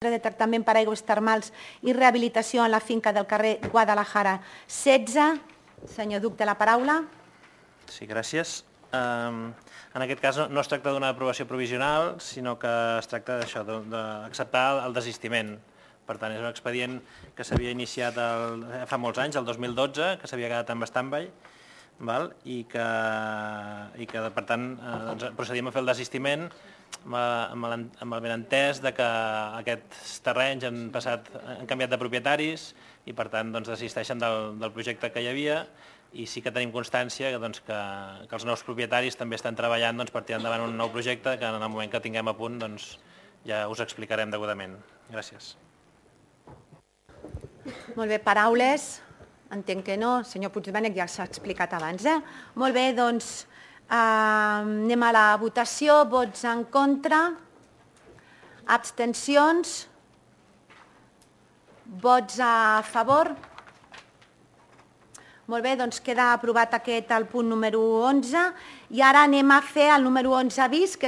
de tractament per aigües termals i rehabilitació en la finca del carrer Guadalajara 16. Senyor Duc, té la paraula. Sí, gràcies. En aquest cas no es tracta d'una aprovació provisional, sinó que es tracta d'això, d'acceptar el desistiment. Per tant, és un expedient que s'havia iniciat fa molts anys, el 2012, que s'havia quedat en stand-by, i que per tant procedíem a fer el desistiment amb el benentès que aquests terrenys han canviat de propietaris i per tant desisteixen del projecte que hi havia, i sí que tenim constància que els nous propietaris també estan treballant per tirar endavant un nou projecte que en el moment que tinguem a punt ja us explicarem degudament. Gràcies. Molt bé, paraules? Entenc que no. Senyor Puigdomènech ja s'ha explicat abans. Molt bé, doncs anem a la votació. Vots en contra? Abstencions? Vots a favor? Molt bé, doncs queda aprovat el punt número 11 i ara anem a fer el número 11 bis, que